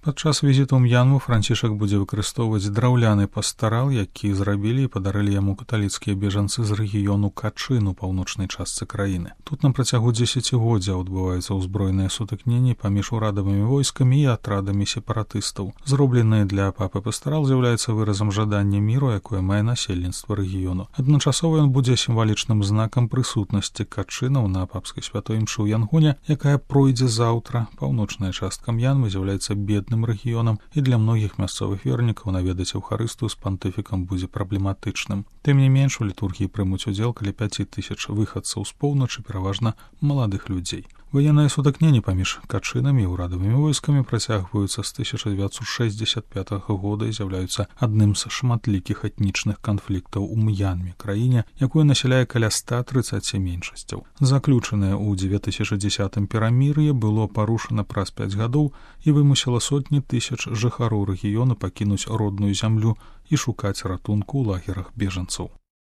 Падчас візіту ў М'янму Францішак будзе выкарыстоўваць драўляны пастарал, які зрабілі і падарылі яму каталіцкія бежанцы з рэгіёну Качин у паўночнай частцы краіны. Тут на працягу дзесяцігоддзяў адбываюцца ўзброеныя сутыкненні паміж урадавымі войскамі і атрадамі сепаратыстаў. Зроблены для папы пастарал з'яўляецца выразам жадання міру, якое мае насельніцтва рэгіёну. Адначасова ён будзе сімвалічным знакам прысутнасці качынаў на папскай святой імшы ў Янгоне, якая пройдзе заўтра. Паўночная частка М'янмы з'яўляецца бедным рэгіёнам, і для многіх мясцовых вернікаў наведаць Еўхарыстыю з пантыфікам будзе праблематычным. Тым не менш, у літургіі прымуць удзел каля 5000 выхадцаў з поўначы, пераважна маладых людзей. Ваенныя сутыкненні паміж качынамі і ўрадавымі войскамі працягваюцца з 1965 года і з'яўляюцца адным з шматлікіх этнічных канфліктаў у М'янме, краіне, якую насяляе каля 130 меншасцяў. Заключанае ў 2010 перамір'е было парушана праз 5 гадоў і вымусіла сотні тысяч жыхароў рэгіёну пакінуць родную зямлю і шукаць ратунку ў лагерах бежанцаў.